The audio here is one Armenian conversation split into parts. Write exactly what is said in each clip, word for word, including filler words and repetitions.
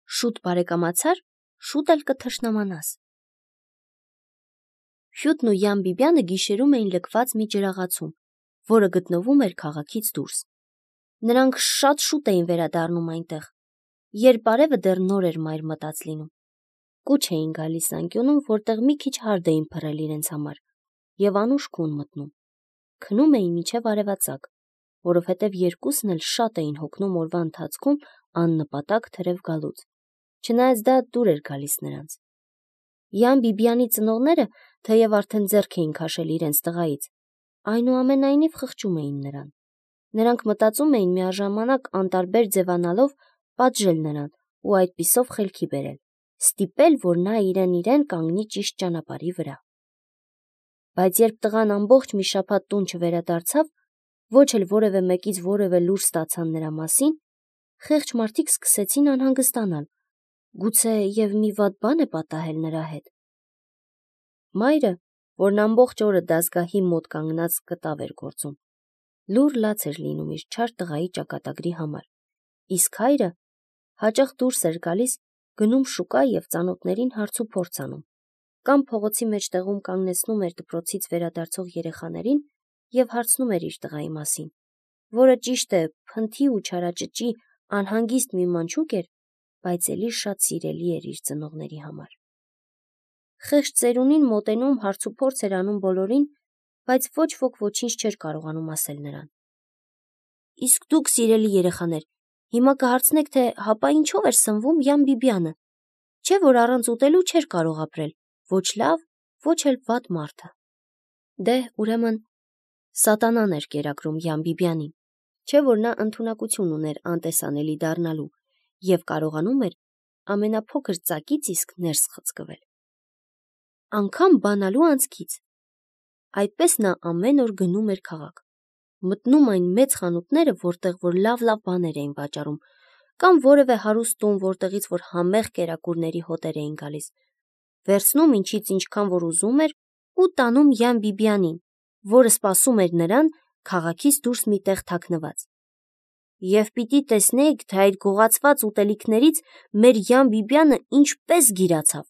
Շուտ բարեկամացար, շուտ էլ կթշնամանաս։ Ֆյուտն ու Յան Բիբյանը գիշերում էին լքված մի ջրաղացում, որը գտնվում էր քաղաքից դուրս։ Նրանք շատ շուտ էին վերադառնում այնտեղ, երբ արևը դեռ նոր էր մայր մտած լինում։ Կուչ էին գալիս անկյունում, որտեղ մի քիչ հարդ էին փռել իրենց համար, եւ անուշ քուն մտնում։ Քնում էին մինչև արևածագ, որովհետև երկուսն էլ շատ էին հոգնում օրվա ընթացքում աննպատակ թրև գալուց, չնայած դա դուր էր գալիս նրանց։ Յան Բիբյանի ծնողները թեև արդեն ձեռք էին քաշել իրենց տղայից, այնուամենայնիվ խղճում էին նրան։ Նրանք մտածում էին միաժամանակ անտարբեր ձևանալով պատժել նրան ու այդպիսով խելքի բերել, ստիպել, որ նա իրեն իրեն կանգնի ճիշտ ճանապարհի վրա։ Բայց երբ տղան ամբողջ մի շաբաթ տուն չվերադարձավ, ոչ էլ որևէ մեկից որևէ լուր ստացան նրա մասին, խեղճ մարդիկ սկսեցին անհանգստանալ, գուցե եւ մի վատ բան է պատահել նրա հետ։ Մայրը, որն ամբողջ օրը դասգահի մոտ կանգնած կտավ էր գործում, լուռ լաց էր լինում իր չար տղայի ճակատագրի համար, իսկ հայրը հաճախ դուրս էր գալիս, գնում շուկա եւ ծանոթներին հարց ու փորձ անում, կամ փողոցի մեջտեղում կանգնեցնում էր դպրոցից վերադարձող երեխաներին եւ հարցնում էր իր տղայի մասին, որը ճիշտ է փնթի ու չարաճճի անհանգիստ մի մանչուկ էր, բայց էլի շատ սիրելի էր իր ծնողների համար։ Խեղճ ծերունին մոտենում հարց ու փորձ էր անում բոլորին, բայց ոչ ոք ոչինչ չէր կարողանում ասել նրան։ Իսկ դուք, սիրելի երեխաներ, հիմա կհարցնեք, թե հապա ինչով էր սնվում Յան Բիբյանը, չէ՞ որ առանց ուտելու չէր կարող ապրել, ոչ լավ, ոչ էլ վատ մարդը։ Դե, ուրեմն, սատանան էր կերակրում Յան Բիբյանին, չէ՞ որ նա ընդունակություն ուներ անտեսանելի դառնալու եւ կարողանում էր ամենափոքր ծակից իսկ ներս խցկվել։ Անգամ բանալու անցքից։ Այդպես նա ամեն օր գնում էր քաղաք, մտնում այն մեծ խանութները, որտեղ որ լավ-լավ բաներ էին վաճառում, կամ որևէ հարուստ տուն, որտեղից որ համեղ կերակուրների հոտեր էին գալիս, վերցնում ինչից ինչքան որ ուզում էր ու տանում Յան Բիբյանին, որը սպասում էր նրան քաղաքից դուրս մի տեղ թաքնված։ Եվ պիտի տեսնեիք, թե այդ գողացված ուտելիքներից մեր Յան Բիբյանը ինչպես գիրացավ։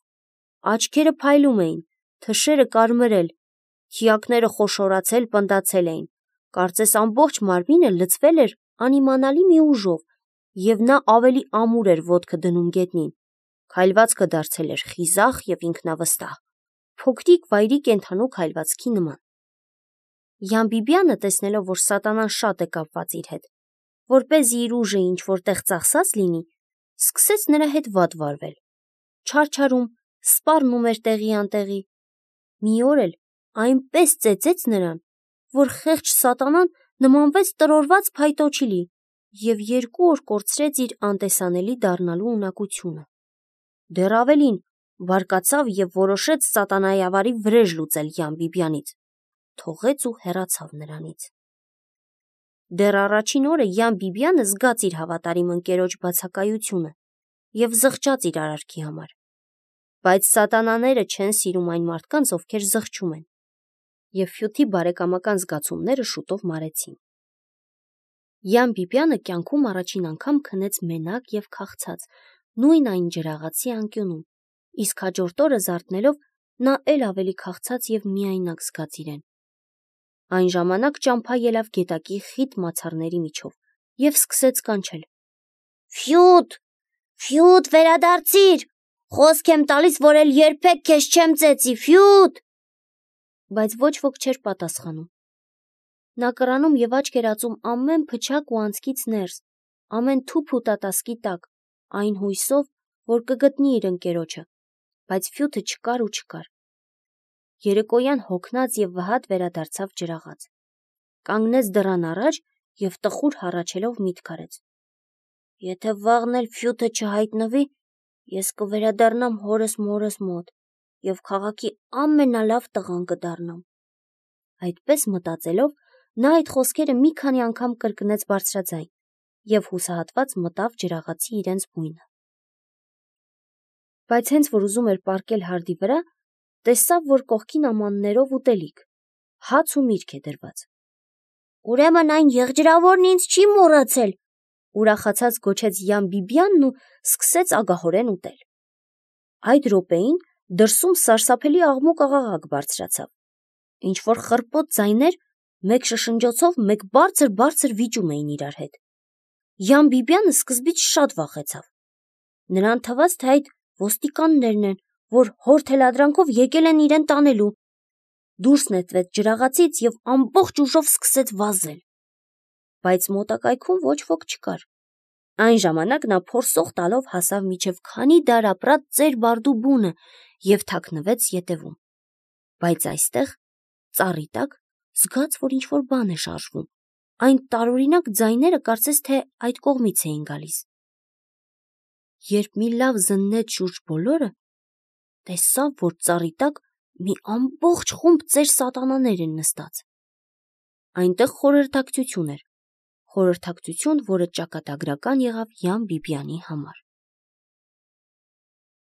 Աչքերը փայլում էին, թշերը կարմրել, թիակները խոշորացել, պնդացել էին, կարծես ամբողջ մարմինը լցվել էր անիմանալի մի ուժով, եւ նա ավելի ամուր էր ոտքը դնում գետնին, քայլվածքը դարձել էր խիզախ եւ ինքնավստահ, փոքրիկ վայրի կենդանու քայլվածքի նման։ Յան Բիբյանը, տեսնելով, որ սատանան շատ է կապված իր հետ, որպեսզի իր ուժը ինչ որտեղ ծախսած լինի, սկսեց նրա հետ վատ վարվել, չարչարում, սպառնում էր տեղի անտեղի։ Մի օր էլ այնպես ծեծեց նրան, որ խեղճ սատանան նմանվեց տրորված փայտոջիլի եւ երկու օր կորցրեց իր անտեսանելի դառնալու ունակությունը։ Դեռ ավելին, բարկացավ եւ որոշեց սատանայավարի վրեժ լուծել Յան Բիբյանից, թողեց ու հեռացավ նրանից։ Դեռ առաջին օրը Յան Բիբյանը զգաց իր հավատարիմ ընկերոջ բացակայությունը եւ զղջաց իր արարքի համար։ Բայց սատանաները չեն սիրում այն մարդկանց, ովքեր զղջում են, եւ Ֆյութի բարեկամական զգացումները շուտով մարեցին։ Յան Բիբյանը կյանքում առաջին անգամ քնեց մենակ եւ քաղցած, նույն այն ջրաղացի անկյունում, իսկ հաջորդ օրը զարթնելով նա էլ ավելի քաղցած եւ միայնակ զգաց իրեն։ Այն ժամանակ ճամփա ելավ գետակի խիտ մացառների միջով եւ սկսեց կանչել. Ֆյութ, Ֆյութ, վերադարձիր, խոսք եմ տալիս, որ էլ երբեք քեզ չեմ ծեծի, Ֆյութ։ Բայց ոչ ոք չէր պատասխանում։ Նա կռանում եւ աչք էր ածում ամեն փչակ ու անցքից ներս, ամեն թուփ ու տատասկի տակ, այն հույսով, որ կգտնի իր ընկերոջը, բայց Ֆյութը չկար ու չկար։ Երեկոյան հոգնած եւ վհատ վերադարձավ ջրաղաց, կանգնեց դռան առաջ եւ տխուր հառաչելով միտք արեց. Եթե վաղն էլ Ֆյութը չհայտնվի, ես կվերադառնամ հորս մորս մոտ եւ քաղաքի ամենալավ տղան կդառնամ։ Այդպես մտածելով, նա այդ խոսքերը մի քանի անգամ կրկնեց բարձրաձայն եւ հուսահատված մտավ ջրաղացի իրենց բույնը։ Բայց հենց որ ուզում էր պառկել հարդի վրա, տեսավ, որ կողքին ամաններով ուտելիք, հաց ու միրգ է դրված։ Ուրեմն այն եղջրավորն ինձ չի մոռացել, ուրախացած գոչեց Յան-Բիբիանն ու սկսեց ագահորեն ուտել։ Այդ րոպեին դրսում սարսափելի աղմուկ-աղաղակ բարձրացավ։ Ինչ-որ խռպոտ ձայներ մեկ շշնջոցով, մեկ բարձր-բարձր վիճում էին իրար հետ։ Յան-Բիբյանը սկզբից շատ վախեցավ։ Նրան թվաց, թե այդ ոստիկաններն են, որ հոր թելադրանքով եկել են իրեն տանելու։ Դուրս նետվեց ջրաղացից և ամբողջ ուժով սկսեց վազել։ Բայց մոտակայքում ոչ ոք չկար։ Այն ժամանակ նա փորսող տալով հասավ մինչև քանի դար ապրած ծեր բարդու բունը և թաքնվեց ետևում։ Բայց այստեղ, ծառի տակ, զգաց, որ ինչ-որ բան է շարժվում։ Այն տարօրինակ ձայները կարծես թե այդ կողմից էին գալիս։ Երբ մի լավ զննեց շուրջ բոլորը, տեսավ, որ ծառի տակ մի ամբողջ խումբ ծեր սատանաներ են նստած։ Այնտեղ խորհրդակցություն էր, խորհրդակցություն, որը ճակատագրական եղավ Յան-Բիբյանի համար։